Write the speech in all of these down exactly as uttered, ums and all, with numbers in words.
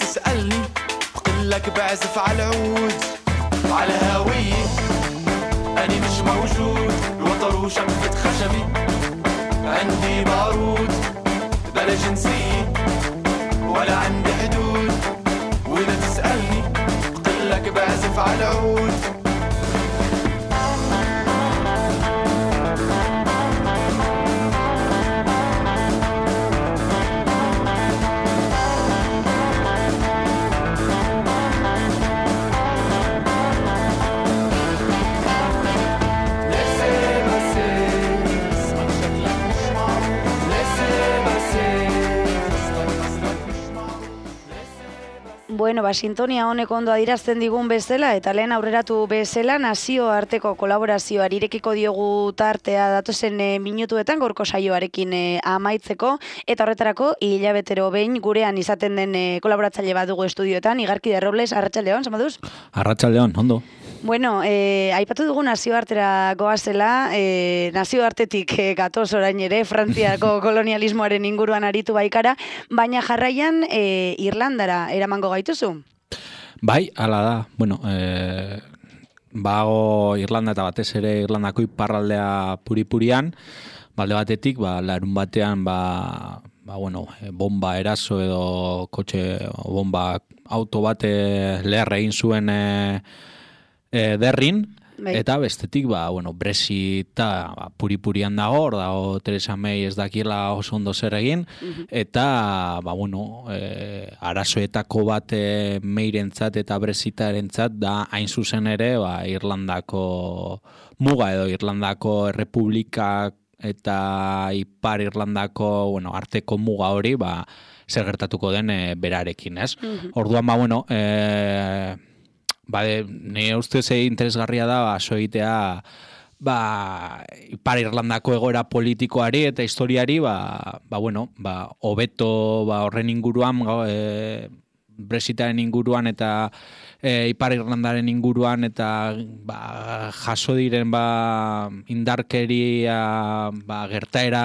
تسألني بقلك بعزف على العود وعلى هوية أنا مش موجود الوتر وشمفة خشبي عندي بارود بلا جنسية ولا عندي حدود وإذا تسألني بقلك بعزف على العود Bueno, ba, sintonia honek ondo adirazten digun bezala, eta lehen aurreratu bezala, nazioarteko kolaborazioari irekiko diogu tartea datozen e, minutuetan, gorko saioarekin e, amaitzeko, eta horretarako hilabetero behin gurean izaten den e, kolaboratzaile badugu estudioetan, Igarkide Robles, Arratsaldeon, zamaduz? Arratsaldeon, ondo. Bueno, eh, aipatu dugu nazioartera goazela, eh, nazioartetik eh, gatoz orain ere, Frantziako kolonialismoaren inguruan aritu baikara, baina jarraian eh, Irlandara eramango gaituzu? Bai, hala da. Bueno, eh, bago Irlanda eta batez ere Irlandako iparraldea puri-purian, balde batetik, ba, larun batean, ba, ba, bueno, bomba eraso edo kotxe bomba auto bate leherra egin zuen e, e, derrin, bai. Eta bestetik, ba, bueno, Brexita ba, puri-purian dago, hor dago Theresa May ez dakiela oso ondo zer egin, uh-huh. Eta, ba, bueno, e, arazoetako bat e, Mayrentzat eta Brexitarentzat da hain zuzen ere, ba, Irlandako muga edo Irlandako Errepublikak eta Ipar Irlandako, bueno, arteko muga hori, ba, zer gertatuko den e, berarekin, ez? Uh-huh. Orduan, ba, bueno, e, ba, nire ustez interesgarria da, ba, soitea, ba, Ipar Irlandako egoera politikoari eta historiari, ba, ba, bueno, ba, hobeto, ba, horren inguruan, e, Brexitaren inguruan eta e, Ipar Irlandaren inguruan eta ba, jaso diren ba, indarkeria ba, gertaera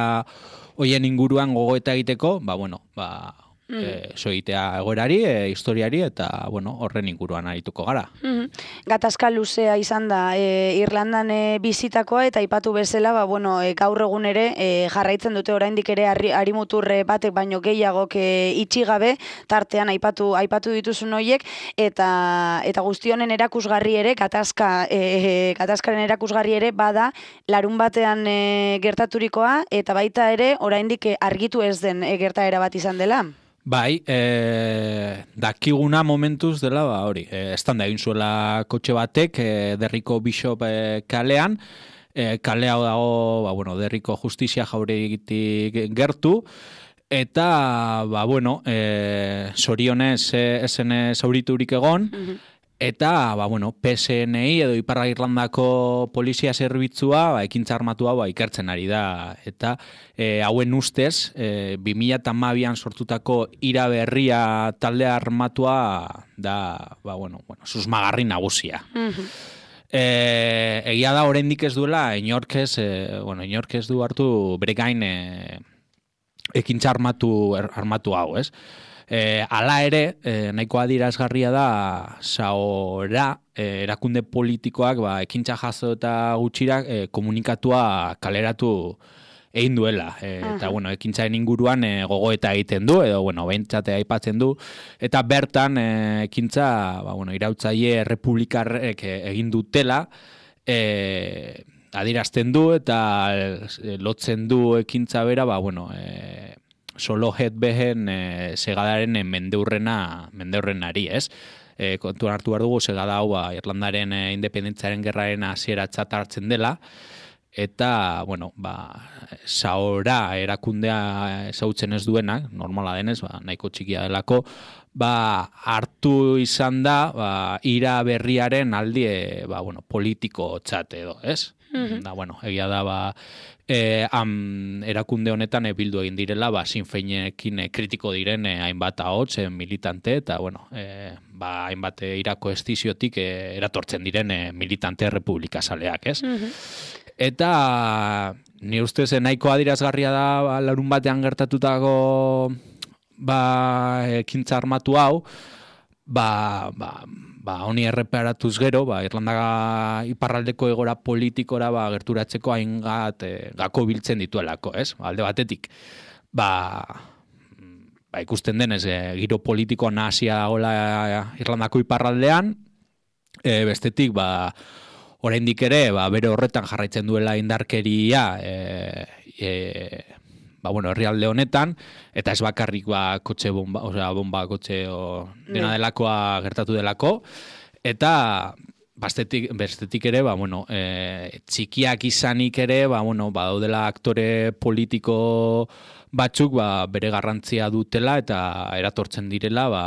hoien inguruan gogoeta egiteko, ba, bueno, ba, mm. e, soitea egoerari, e, historiari eta bueno, horren inguruan arituko gara. Mm-hmm. Gatazka luzea izan da e, Irlandan e, bizitakoa eta aipatu bezala, ba, bueno, e, gaur egun ere e, jarraitzen dute oraindik ere harimuturre batek baino gehiagok e, itxi gabe, tartean aipatu aipatu dituzun horiek eta eta guzti honen erakusgarri ere gatazka e, gatazkaren erakusgarri ere bada larun batean e, gertaturikoa eta baita ere oraindik e, argitu ez den e, gertaera bat izan dela. Bai, e, dakiguna momentuz dela, ba, hori, e, estanda egin zuela kotxe batek, e, Derriko Bishop e, kalean, e, kale hau dago, ba, bueno, Derriko Justizia jauregitik gertu, eta, ba, bueno, e, zorionez e, esen zauriturik egon, mm-hmm. Eta, ba, bueno, P S N I edo Ipar Irlandako polizia zerbitzua ba, ekintza armatua ba, ikertzen ari da. Eta e, hauen ustez, e, bi mila hamabian sortutako ira berria talde armatua da, ba, bueno, bueno, susmagarri nagusia. Mm-hmm. E, egia da oraindik ez duela, inork ez, e, bueno, inork ez du hartu bere gain e, ekintza armatu, armatu hau, ez? E, ala ere, e, nahiko adierazgarria da Saora e, erakunde politikoak ba, ekintza jaso eta gutxira e, komunikatua kaleratu egin duela. E, eta, bueno, ekintzaren inguruan e, gogoeta egiten du, edo, bueno, behintzate aipatzen du, eta bertan e, ekintza, ba, bueno, irautzaile errepublikarrek egin dutela, e, adierazten du, eta e, lotzen du ekintza bera, ba, bueno, e, solo het behen e, segadaren mendeurrena, mendeurrenari, ez? E, kontuan hartu behar dugu, segada hau ba, Irlandaren e, independentzaren gerraren hasieratzat hartzen dela, eta, bueno, ba, Saora erakundea ezautzen ez duenak, normala denez, ba, nahiko txikia delako, ba, hartu izan da, ba, ira berriaren aldi, ba, bueno, politiko txate edo, ez? Mm-hmm. Da, bueno, egia da, ba, E, am, erakunde honetan e, bildu egin direla, ba, Sinn Feinekin e, kritiko diren e, hainbat ahots e, militante, eta, bueno, e, ba, hainbat e, irako estiziotik e, eratortzen diren e, militante republikazaleak, ez? Mm-hmm. Eta, ni ustez, nahiko adirazgarria da, ba, larun batean gertatutako ba, ekintza armatu hau, ba, ba, ba honi erreparatuz gero, ba, Irlanda iparraldeko egora politikora ba, gerturatzeko haingat e, gako biltzen dituelako, ez? Alde batetik, ba, ba ikusten denez, e, giro politiko nahasia dagoela Irlandako iparraldean, e, bestetik, ba, oraindik ere, ba, bere horretan jarraitzen duela indarkeria, e, e, ba, bueno, herrialde honetan, eta ez bakarrik ba, kotxe bomba, osea, bomba kotxe o, dena delakoa gertatu delako, eta bestetik, bestetik ere, ba, bueno, e, txikiak izanik ere, ba, bueno, ba, daudela aktore politiko batzuk ba, bere garrantzia dutela eta eratortzen direla ba,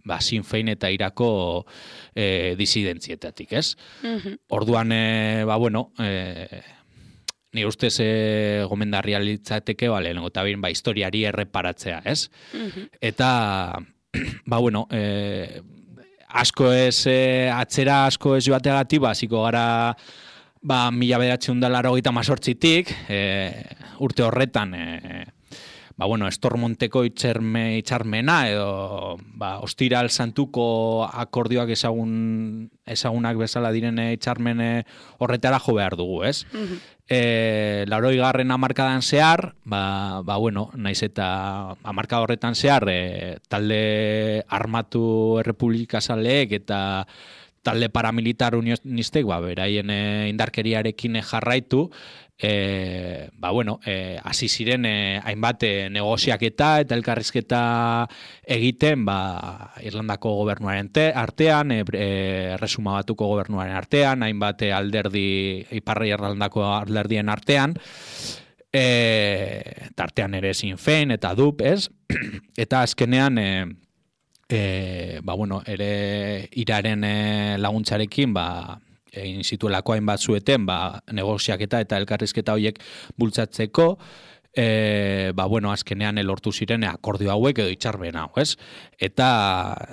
ba, Sinn Féin eta Irako e, disidentzietatik, ez? Mm-hmm. Orduan, e, ba, bueno, e, ni ustez e, gomendarria litzateke, ba, lehenengo eta behin, ba, historiari erreparatzea, ez? Mm-hmm. Eta, ba, bueno, e, asko ez, e, atzera asko ez joateagatik, ba, hasiko gara, ba, mila bederatziehun eta laurogeita hemezortzitik, e, urte horretan, e, ba, bueno, Estormonteko itxerme, itxarmena edo ba, Ostiral Santuko akordioak ezagun, ezagunak bezala direne itxarmene horretara jo behar dugu, ez? Mm-hmm. E, laurogei garren hamarkadan zehar, ba, ba, bueno, naiz eta hamarkada horretan zehar, e, talde armatu errepublikazaleek eta talde paramilitar unionistek, ba, beraien e, indarkeriarekin jarraitu, E, ba, bueno, e, hasi ziren e, hainbat e, negoziaketa eta elkarrizketa egiten ba, Irlandako gobernuaren te, artean, e, Erresuma Batuko gobernuaren artean, hainbat e, alderdi, Iparra Irlandako alderdien artean, e, tartean ere Sinn Féin eta D U P, ez? Eta azkenean, e, e, ba, bueno, ere iraren e, laguntzarekin, ba, egin zituelako hainbat zueten, ba, negoziaketa eta elkarrizketa horiek bultzatzeko, e, ba, bueno, azkenean elortu ziren akordio hauek edo itxarben hau, ez? Eta,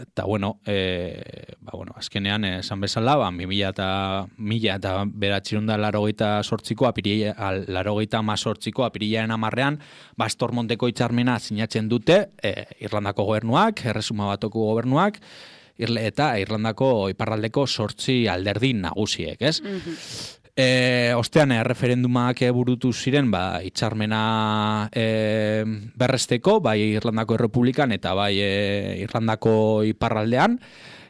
eta bueno, e, ba, bueno, azkenean esan bezala, ba, mila eta mila eta bederatziehun eta laurogeita zortziko, laurogeita hamazortziko apirilaren hamarrean, ba, Estormonteko itxarmena sinatzen dute, e, Irlandako gobernuak, Erresuma Batuko gobernuak, eta Irlandako iparraldeko sortzi alderdi nagusiek, ez? Mm-hmm. E, ostean, e, referendumak burutu ziren, ba, itxarmena e, berresteko, bai Irlandako Errepublikan eta bai e, Irlandako iparraldean,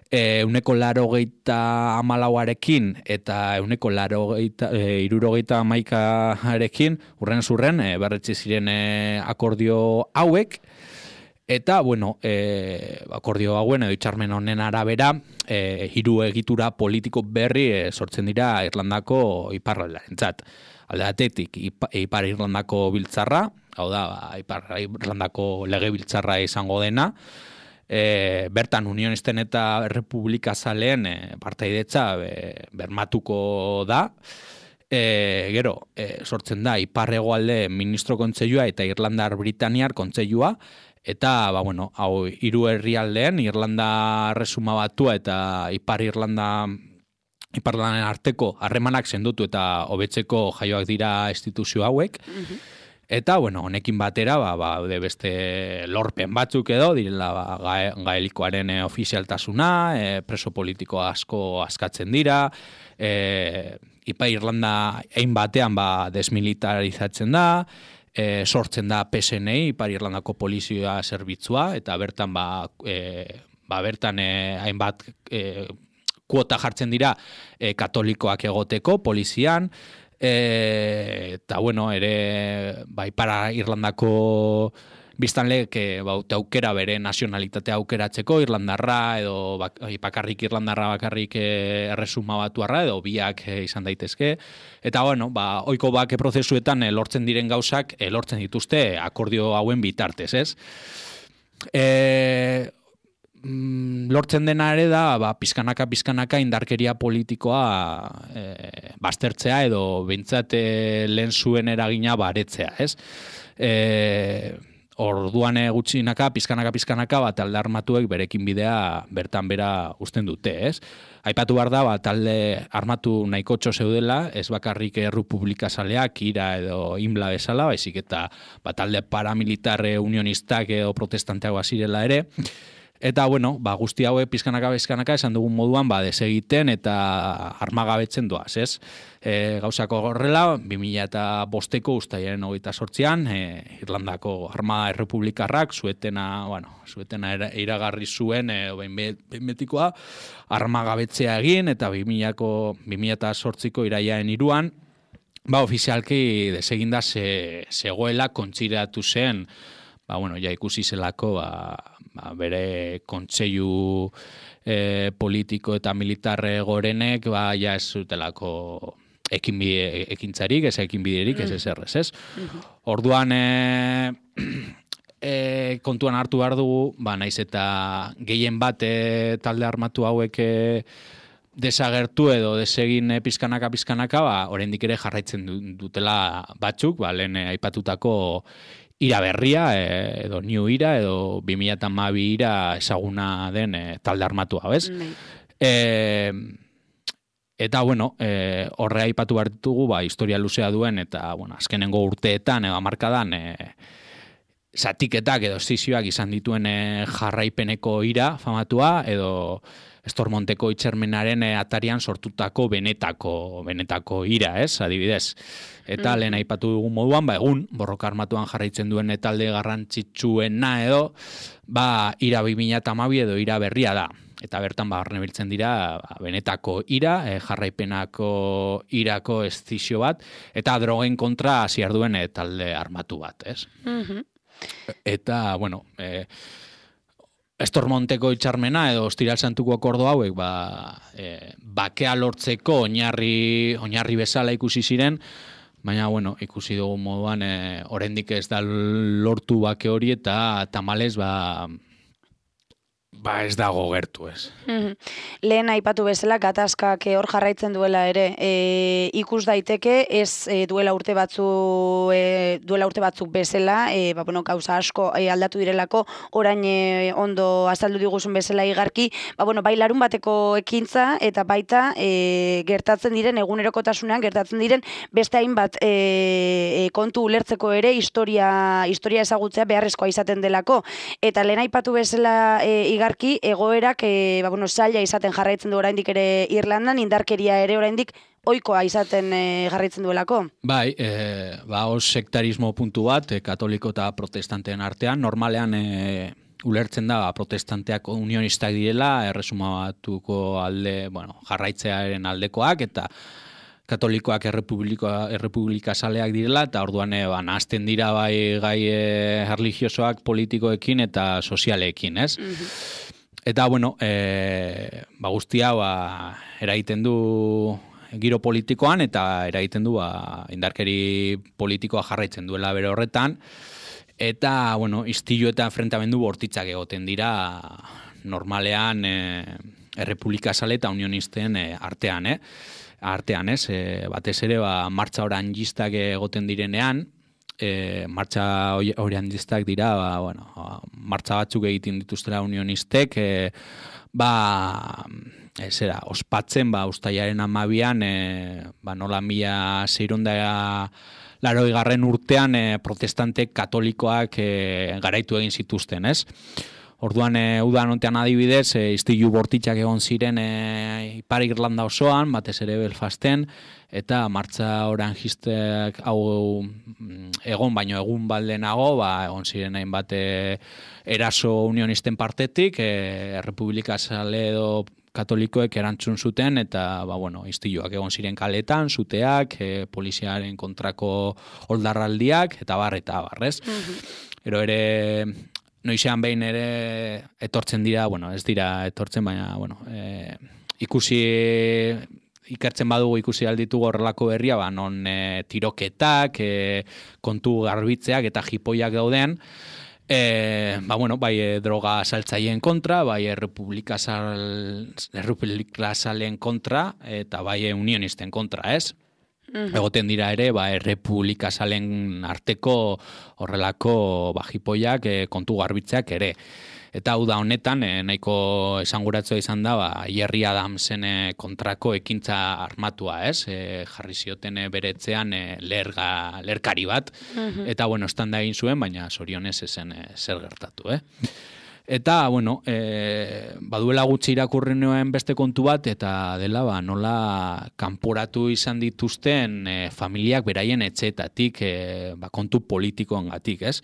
e, euneko larogeita hamalauarekin eta euneko larogeita, e, irurogeita hamaikarekin, urren zurren, e, berretzi ziren e, akordio hauek, eta, bueno, e, akordio hauen edo itxarmen honen arabera, e, hiru egitura politiko berri e, sortzen dira Irlandako iparraldarentzat. Alde batetik, Ipar Irlandako biltzarra, hau da, Ipar Irlandako legebiltzarra izango dena, e, bertan unionisten eta republikazaleen e, partaidetza e, bermatuko da, E, gero, e, sortzen da Ipar Hegoalde Ministro Kontseilua eta Irlandar Britaniar Kontseilua, eta, ba, bueno, hau hiru herrialdeen, Irlanda Erresuma Batua eta Ipar Irlanda Iparraldanen arteko harremanak sendotu eta hobetzeko jaioak dira instituzio hauek. Mm-hmm. Eta, bueno, honekin batera, ba, ba, beste lorpen batzuk edo, direla ba, gae, gaelikoaren e, ofizialtasuna, e, preso politiko asko askatzen dira, e, Ipar Irlanda ein batean ba, desmilitarizatzen da, e, sortzen da P S N I, Ipar Irlandako polizioa zerbitzua, eta bertan ba, e, ba, bertan e, hainbat e, kuota jartzen dira e, katolikoak egoteko polizian, e, eta bueno, ere ba, Ipar Irlandako biztanleek ba, aukera bere nazionalitatea aukeratzeko, Irlandarra edo bak, bakarrik Irlandarra bakarrik e, Erresuma Batuarra edo biak e, izan daitezke. Eta bueno, ba, ohiko bake prozesuetan e, lortzen diren gauzak e, lortzen dituzte akordio hauen bitartez, ez? E, mm, lortzen dena ere da, ba, pizkanaka pizkanaka indarkeria politikoa e, baztertzea edo behintzat e, lehen zuen eragina baretzea, ez? E, orduan gutxinaka, pizkanaka, pizkanaka, ba, talde armatuek berekin bidea bertan bera uzten dute, ez? Aipatu behar da, ba, talde armatu nahikotxo zeudela, ez bakarrik errepublika zaleak, ira edo inbla bezala, baizik eta ba, talde paramilitarre unionistak edo protestanteak bazirela ere. Eta, bueno, ba, guzti hauek pizkanaka, pizkanaka, esan dugun moduan, ba, desegiten eta armagabetzen doaz, ez? E, gauzako horrela, bi mila bosteko ustailaren hogeita zortzian, e, Irlandako Armada Errepublikarrak, zuetena, bueno, zuetena iragarri zuen, e, behin betikoa, armagabetzea egin, eta bi mila zortziko iraiaren iruan, ba, ofizialki deseginda ze, zegoela kontsiratu zen, ba, bueno, ja ikusi zelako, ba, ba, bere kontseilu e, politiko eta militarre gorenek, ba, ja ez zutelako ekinbide, ekintzarik, ez ekinbiderik, ez ez errez, ez? Orduan, e, e, kontuan hartu behar dugu, ba, naiz eta gehien bat e, talde armatu hauek e, desagertu edo desegin e, pizkanaka pizkanaka, ba, oraindik ere jarraitzen dutela batzuk, ba, lehen e, aipatutako ira berria, e, edo new ira, edo bi mila hamabi ira ezaguna den e, talde armatua, bez? E, eta, bueno, e, horre aipatu behar ditugu, ba, historia luzea duen, eta, bueno, azkenengo urteetan, edo hamarkadan, e, zatiketak edo estizioak izan dituen e, jarraipeneko ira famatua, edo Estormonteko itxermenaren e, atarian sortutako benetako, benetako ira, ez, adibidez. Eta mm. lehen aipatu dugun moduan, ba, egun, borroka armatuan jarraitzen duen talde garrantzitsuena edo, ba, ira bi mila hamabi edo ira berria da. Eta bertan, ba, barnebiltzen dira, ba, benetako ira, e, jarraipenako irako estizio bat, eta drogen kontra hasiar duen e, talde armatu bat, ez? Mm-hmm. Eta, bueno, e, Estormonteko itxarmena edo Ostiral Santuko akordo hauek ba, e, bakea lortzeko oinarri, oinarri bezala ikusi ziren, baina bueno, ikusi dugu moduan e, oraindik ez da lortu bake hori eta tamalez ba, ba ez dago gertu, ez. Mm-hmm. Lehen aipatu bezala gatazkak hor jarraitzen duela ere, e, ikus daiteke ez e, duela urte batzu e, duela urte batzuk bezala, e, ba, bueno, gauza asko e, aldatu direlako, orain e, ondo azaldu diguzun bezala igarki, ba, bueno, bai larun bateko ekintza eta baita e, gertatzen diren egunerokotasunean gertatzen diren beste hainbat e, e, kontu ulertzeko ere historia historia ezagutzea beharrezkoa izaten delako, eta lehen aipatu bezala e, igarki egoerak e, ba, bueno, zaila izaten jarraitzen du oraindik ere Irlandan, indarkeria ere oraindik ohikoa izaten e, jarraitzen duelako. Bai, e, ba, os sektarismo puntu bat, e, katoliko eta protestanteen artean, normalean e, ulertzen da, ba, protestanteak unionistak direla, erresuma batuko alde, bueno, jarraitzearen aldekoak, eta katolikoak errepublika saleak direla, eta orduan e, ba, nahazten dira bai gai e, religiosoak politikoekin eta sozialekin, ez? Mm-hmm. Eta, bueno, e, ba, guztia ba, eragiten du giro politikoan, eta eragiten du ba, indarkeri politikoa jarraitzen duela bere horretan, eta, bueno, istilu eta enfrentamendu bortitzak egoten dira normalean e, errepublika sale eta unionisten e, artean, eh? artean, ez, e, batez ere, ba, martxa orangistak egoten direnean, e, martxa orangistak dira, ba, bueno, martxa batzuk egiten dituztela unionistek, e, ba, e, zera, ospatzen, ba, ustailaren hamabian, e, ba, nola mila seiehun larogei garren urtean, e, protestante katolikoak e, garaitu egin zituzten, ez? Orduan, e, udan ontean adibidez, e, istilu bortitzak egon ziren e, Ipar Irlanda osoan, batez ere Belfasten, eta martxa orangistek hau egon baino egun baldenago, ba, egon ziren hainbat e, eraso unionisten partetik, e, Errepublika Sale edo katolikoek erantzun zuten, eta ba, bueno, istiluak egon ziren kaletan, zuteak, e, poliziaren kontrako oldarraldiak, eta bar, eta barrez. Mm-hmm. Ero ere... Noizean behin ere etortzen dira, bueno, ez dira etortzen, baina, bueno, e, ikusi, ikertzen badugu ikusi alditugu horrelako berria, ba, non e, tiroketak, e, kontu garbitzeak eta jipoiak dauden, e, ba, bueno, bai e, droga saltzaileen kontra, bai errepublika sal, errepublika salen kontra, eta bai e, unionisten kontra, ez? Egoten dira ere, ba, errepublika salen arteko horrelako bajipoiak e, kontu garbitzeak ere. Eta hau da honetan, e, nahiko esanguratzea izan da, ba, Jerry Adamsen e, kontrako ekintza armatua, ez? E, jarri zioten e, beretzean e, lerga, lerkari bat, eta, bueno, estanda egin zuen, baina zorionez ezen e, zer gertatu, eh? Eta, bueno, e, baduela gutxi irakurri nuen beste kontu bat, eta dela, ba, nola kanporatu izan dituzten e, familiak beraien etxeetatik, e, ba, kontu politikoengatik, ez?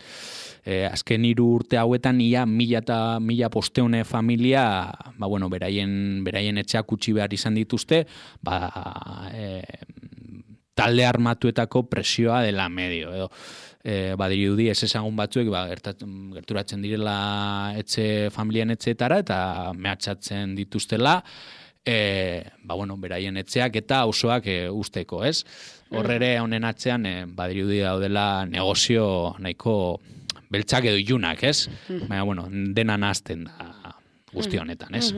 E, azken hiru urte hauetan ia mila eta mila posteune familia, ba, bueno, beraien, beraien etxeak utzi behar izan dituzte, ba, e, talde armatuetako presioa dela medio, edo. E, badirudi ez ezagun batzuek ba, gerturatzen direla etxe familien etxeetara eta mehatxatzen dituztela e, ba, bueno, beraien etxeak eta auzoak e, usteko, ez? Horrere honen atzean e, badirudi daudela negozio nahiko beltzak edo ilunak, ez? Baina, bueno, dena nahazten da guzti honetan, ez?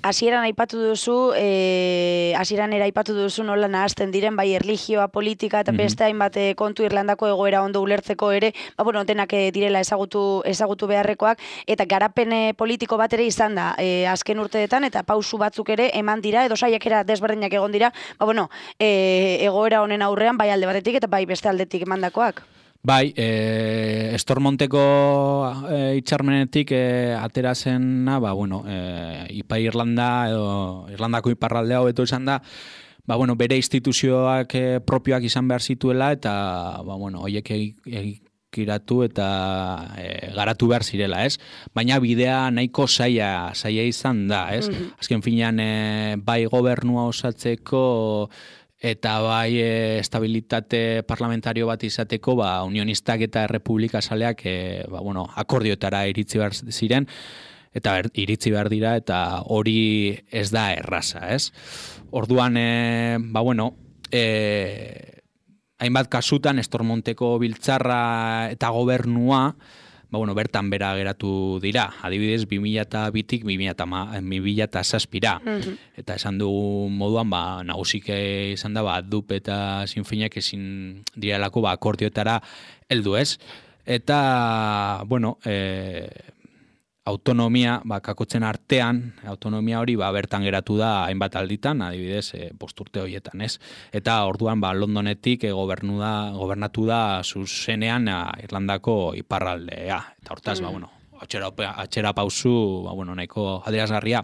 Hasieran aipatu duzu, eh, hasieran era aipatu duzu nola nahazten diren bai erlijioa, politika eta beste hainbat kontu Irlandako egoera ondo ulertzeko ere, ba bueno, denak direla ezagutu ezagutu beharrekoak eta garapen politiko bat ere izan da eh, azken urteetan eta pausu batzuk ere eman dira edo saiakera desberdinak egon dira, ba bueno, eh, egoera honen aurrean bai alde batetik eta bai beste aldetik emandakoak. Bai, e, Estormonteko e, itxarmenetik e, atera zena, ba, bueno, e, Ipar Irlanda edo Irlandako iparraldea hobeto izan da, ba, bueno, bere instituzioak e, propioak izan behar zituela eta, ba, bueno, hoiek egikiratu eta e, garatu behar zirela, ez? Baina bidea nahiko zaila, zaila izan da, ez? Mm-hmm. Azken finean, e, bai gobernua osatzeko eta bai e, estabilitate parlamentario bat izateko, ba, unionistak eta errepublika saleak e, ba, bueno, akordioetara iritzi behar ziren, eta ber, iritzi behar dira, eta hori ez da erraza, ez? Orduan, e, ba, bueno, e, hainbat kasutan Estormonteko biltzarra eta gobernua, ba, bueno, bertan bera geratu dira. Adibidez, bi mila bitik bi mila zazpira. Mm-hmm. Eta esan du moduan, ba, nagusik izan da, ba, dup eta sinfinak ezin direlako ba, akordioetara heldu, ez? Eta, bueno, e, autonomia, ba, kakotzen artean, autonomia hori ba, bertan geratu da hainbat alditan, adibidez, e, posturte horietan, ez? Eta orduan, ba, Londonetik e, gobernu da, gobernatu da zuzenean a, Irlandako iparraldea. Eta hortaz, mm. ba, bueno, atxera, atxera pausu, ba, bueno, nahiko adierazgarria.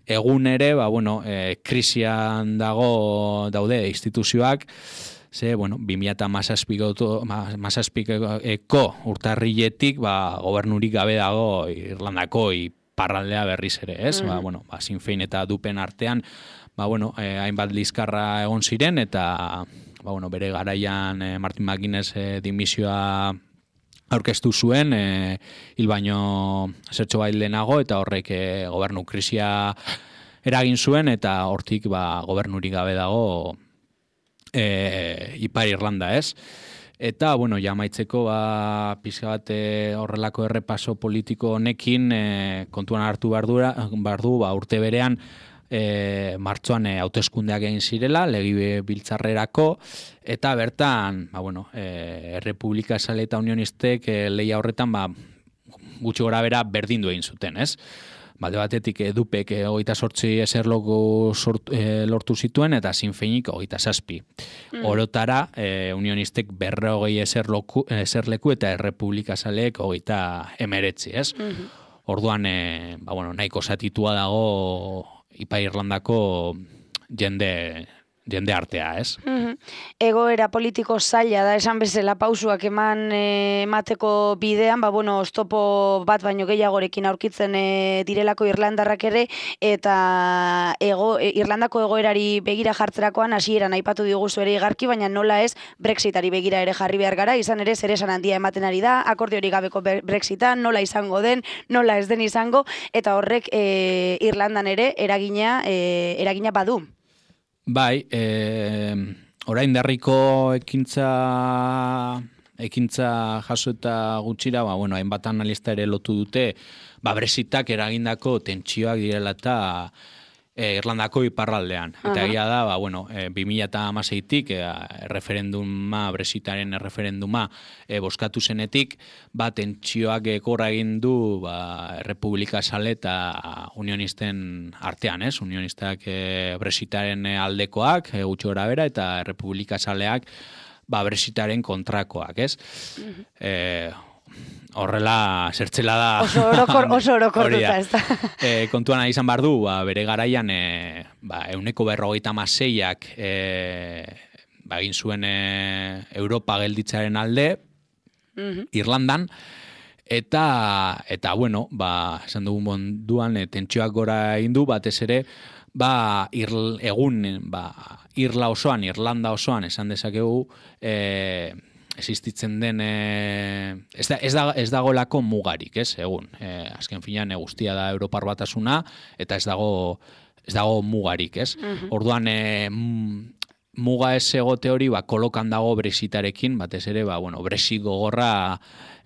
Egun ere, ba, bueno, e, krisian dago daude instituzioak, ze, bueno, bi mila hamazazpiko urtarriletik, ba, gobernurik gabe dago Irlandako iparraldea berriz ere, ez? Mm. Ba, bueno, ba, Sinn Féin eta dupen artean, ba, bueno, eh, hainbat lizkarra egon ziren, eta, ba, bueno, bere garaian eh, Martin McGuinness eh, dimisioa aurkeztu zuen, eh, hil baino zertxo bait lehenago, eta horrek eh, gobernu krisia eragin zuen, eta hortik, ba, gobernurik gabe dago E, Ipar Irlanda, ez? Eta, bueno, jamaitzeko ba, pizka bat e, horrelako errepaso politiko honekin e, kontuan hartu behar du, ba, urte berean e, martxoan e, hauteskundeak egin zirela, legi biltzarrerako, eta bertan, ba, bueno, e, Errepublika Sale eta Unionistek e, lehia horretan, ba, gutxi gora bera berdindu egin zuten, ez? Bade batetik edupek hogeita sortzi eserloku e, lortu zituen eta Sinn Féinik hogeita zazpi. Mm. Orotara, e, unionistek berrogei eserloku, eserleku eta Errepublika Saleek hogeita emeretzi, ez? Mm-hmm. Orduan, e, ba, bueno, nahiko zatitua dago Ipar Irlandako jende... jende artea, ez? Mm-hmm. Egoera politiko zaila da, esan bezala pausuak eman e, emateko bidean, ba, bueno, oztopo bat baino gehiagorekin aurkitzen e, direlako irlandarrak ere, eta ego, e, Irlandako egoerari begira jartzerakoan hasieran aipatu diguzu ere igarki, baina nola ez Brexitari begira ere jarri behar gara, izan ere zer esan handia ematen ari da, akordiori gabeko Brexita, nola izango den, nola ez den izango, eta horrek e, Irlandan ere eragina, e, eragina badu. Bai, e, orain derriko ekintza ekintza jaso eta gutxira, ba, bueno, hainbat analista ere lotu dute, ba, Brexitak eragindako tentsioak direla eta E, Irlandako iparraldean. Eta egia da, ba, bueno, e, bi mila hamaseitik e, referenduma, Brexitaren referenduma e, boskatu zenetik, ba, tentsioak gorra egin du ba, Republika Sale eta unionisten artean, ez? Unionistak e, Brexitaren aldekoak, e, gutxi gora bera, eta Republika Saleak ba, Brexitaren kontrakoak, ez? Mm-hmm. e, Horrela, zertzela da... Oso orokor, oso orokortuta, ez da. E, kontuan izan behar du, ba, bere garaian, e, ba, euneko berrogeita maseiak e, ba, egin zuen e, Europa gelditzaren alde, mm-hmm. Irlandan, eta, eta bueno, ba, esan dugun bonduan, e, tentsioak gora egin du, batez ere, ba, irl, egun, ba, Irla osoan, Irlanda osoan, esan dezakegu, e, existitzen den e, ez, da, ez, da, ez dagolako mugarik, ez, egun. E, azken finean e, guztia da Europar Batasuna eta ez dago ez dago mugarik, ez. Uh-huh. Orduan e, muga ez egote hori ba, kolokan dago Brexitarekin, batez ere, ba, bueno, Brexit gogorra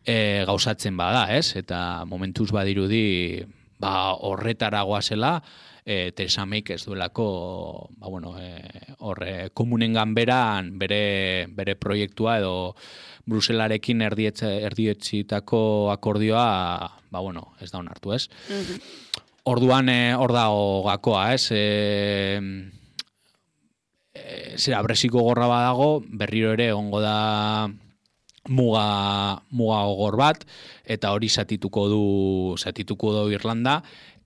e, gauzatzen bada, ez, eta momentuz badirudi ba, horretara goazela, E, Theresa Mayk ez duelako ba, bueno, e, horre, komunen ganberan bere, bere proiektua edo Bruselarekin erdietzitako akordioa ba, bueno, ez da onartu, ez? Mm-hmm. Orduan e, hor dago gakoa, ez? E, e, zera, Brexiko gorra badago, berriro ere ongo da muga, muga gogor bat, eta hori zatituko du, zatituko du Irlanda,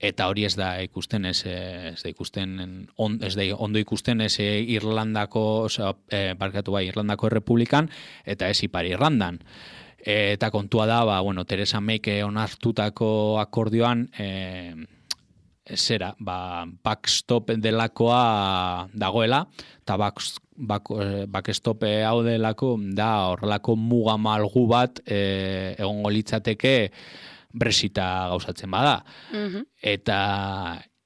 eta hori ez da ikusten, ez, ez da ikusten, on, ez da ondo ikusten ez Irlandako, oza, e, barkatu bai, Irlandako Errepublikan, eta ez Ipar Irlandan. E, eta kontua da, ba, bueno, Theresa Mayk onartutako akordioan, e, zera, ba, backstop delakoa dagoela, eta back, back, backstop hau delako, da horrelako muga malgu bat e, egongo litzateke Brexita gauzatzen bada. Mm-hmm. Eta,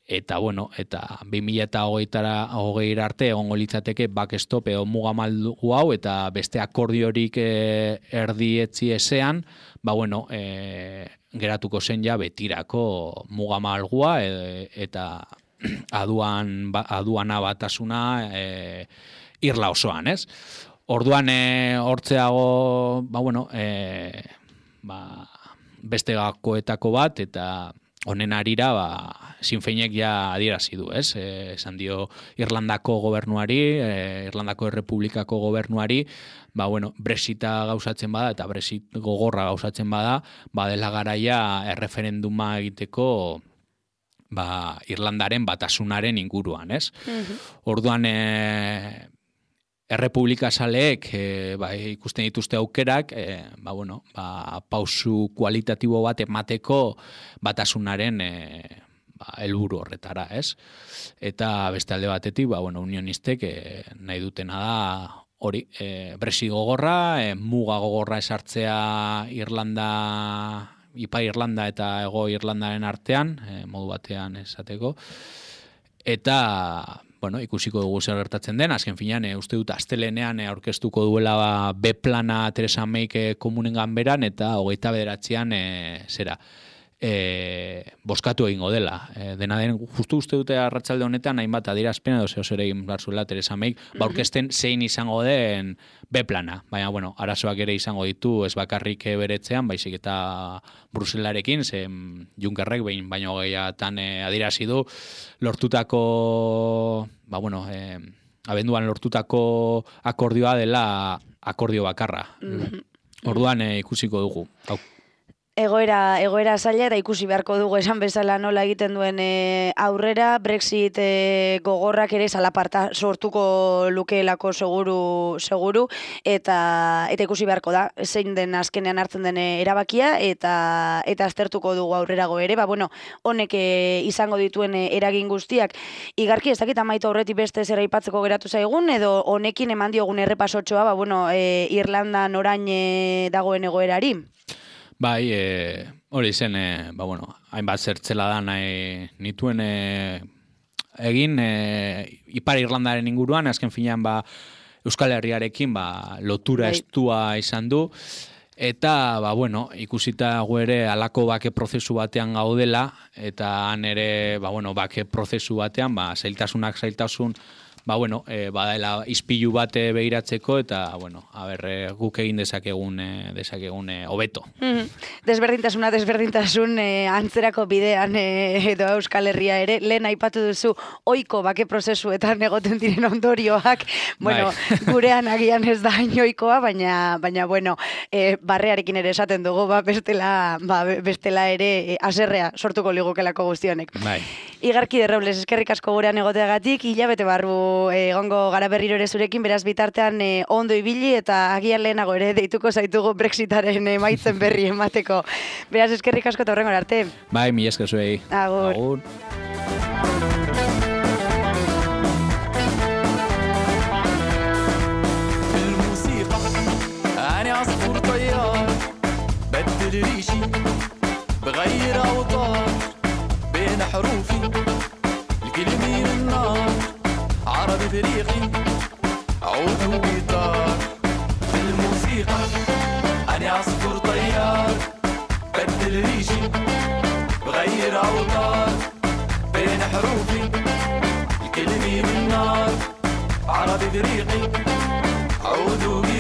eta, bueno, eta bi mila hogei arte egongo litzateke backstop edo muga malgu hau, eta beste akordiorik e, erdietzi ezean, ba, bueno, e, geratuko zen ja betirako muga malgua e, eta aduan, ba, aduana batasuna e, Irla osoan, ez? Orduan, e, hortzeago, ba, bueno, e, ba, beste gakoetako bat, eta honen arira, ba, Sinn Féinek ja adierazi du, ez? E, esan dio Irlandako gobernuari, e, Irlandako Errepublikako gobernuari, ba, bueno, Brexita gauzatzen bada, eta Brexit gogorra gauzatzen bada, ba, dela garaia erreferenduma egiteko ba, Irlandaren batasunaren inguruan, ez? Mm-hmm. Orduan, e, Errepublika Saleek e, ba, ikusten dituzte aukerak, e, ba, bueno, ba, pausu kualitatibo bat emateko batasunaren e, ba, helburu horretara, ez? Eta beste alde batetik, ba, bueno, unionistek e, nahi dutena da hori, e, Brexit gogorra, e, muga gogorra esartzea Irlanda, Ipar Irlanda eta Hego Irlandaren artean, e, modu batean esateko, eta bueno, ikusiko dugu zer gertatzen den, azken finean, e, uste dut astelenean e, aurkeztuko duela ba, B-plana Theresa Mayk e, komunen ganberan, eta hogeita bederatzean e, zera, e, boskatu egingo dela. E, dena den, justu uste dute arratsalde honetan, hainbat adierazpen edo zeo zer egin behar zuela Theresa Mayk, ba, aurkezten zein izango den B-plana. Baina, bueno, arazoak ere izango ditu, ez bakarrik beretzean, baizik eta Bruselarekin, ze Junckerrek behin baino gehiatan e, adierazi du, lortutako, ba, bueno, e, abenduan lortutako akordioa dela akordio bakarra. Mm-hmm. Orduan e, ikusiko dugu. Hau. Egoera, egoera zaila eta ikusi beharko dugu esan bezala nola egiten duen e, aurrera, Brexit e, gogorrak ere zalaparta sortuko lukeelako seguru, seguru eta eta ikusi beharko da, zein den azkenean hartzen den erabakia eta eta aztertuko dugu aurrerago ere, ba, bueno, honek e, izango dituen e, eragin guztiak, igarki ez dakit amaitu aurretik beste zera aipatzeko geratu zaigun, edo honekin eman diogun errepasotxoa, ba, bueno, e, Irlandan orain e, dagoen egoerari. Bai, e, hori zen, e, ba, bueno, hainbat zertzela da nahi nituen e, egin e, Ipar Irlandaren inguruan, azken finean ba, Euskal Herriarekin ba, lotura bai. Estua izan du, Eta, ba, bueno, ikusita gu ere alako bake prozesu batean gaudela, eta han ere, ba, bueno, bake prozesu batean, ba, zailtasunak zailtasun, ba, bueno, e, badaela ispilu bate begiratzeko, eta, bueno, a ber, e, guk egin dezakegun, e, dezakegun e, hobeto. Mm-hmm. Desberdintasuna, desberdintasun e, antzerako bidean e, edo Euskal Herria ere, lehen aipatu duzu ohiko bake prozesuetan egoten diren ondorioak, bueno, bai. Gurean agian ez da inoikoa, baina, baina bueno, e, barrearekin ere esaten dugu, ba, bestela, ba, bestela ere e, aserrea sortuko ligukelako guztionek. Bai. Igarki de Robles, eskerrik asko gurean egoteagatik, hilabete barru egongo gara berriro ere zurekin, beraz bitartean e, ondo ibili eta agian lehenago ere deituko zaitugu Brexitaren emaitzen berri emateko. Beraz eskerrik asko eta horrengora arte. Bai, mi esker zuei. Agur. Agur. عصفور طيار بدل ريشي بغير أوتار بين حروفي الكلمة من النار عربي فريقي عود وجيتار في الموسيقى أنا عصفور طيار بدل ريشي بغير أوتار بين حروفي الكلمة من النار عربي فريقي عود وجيتار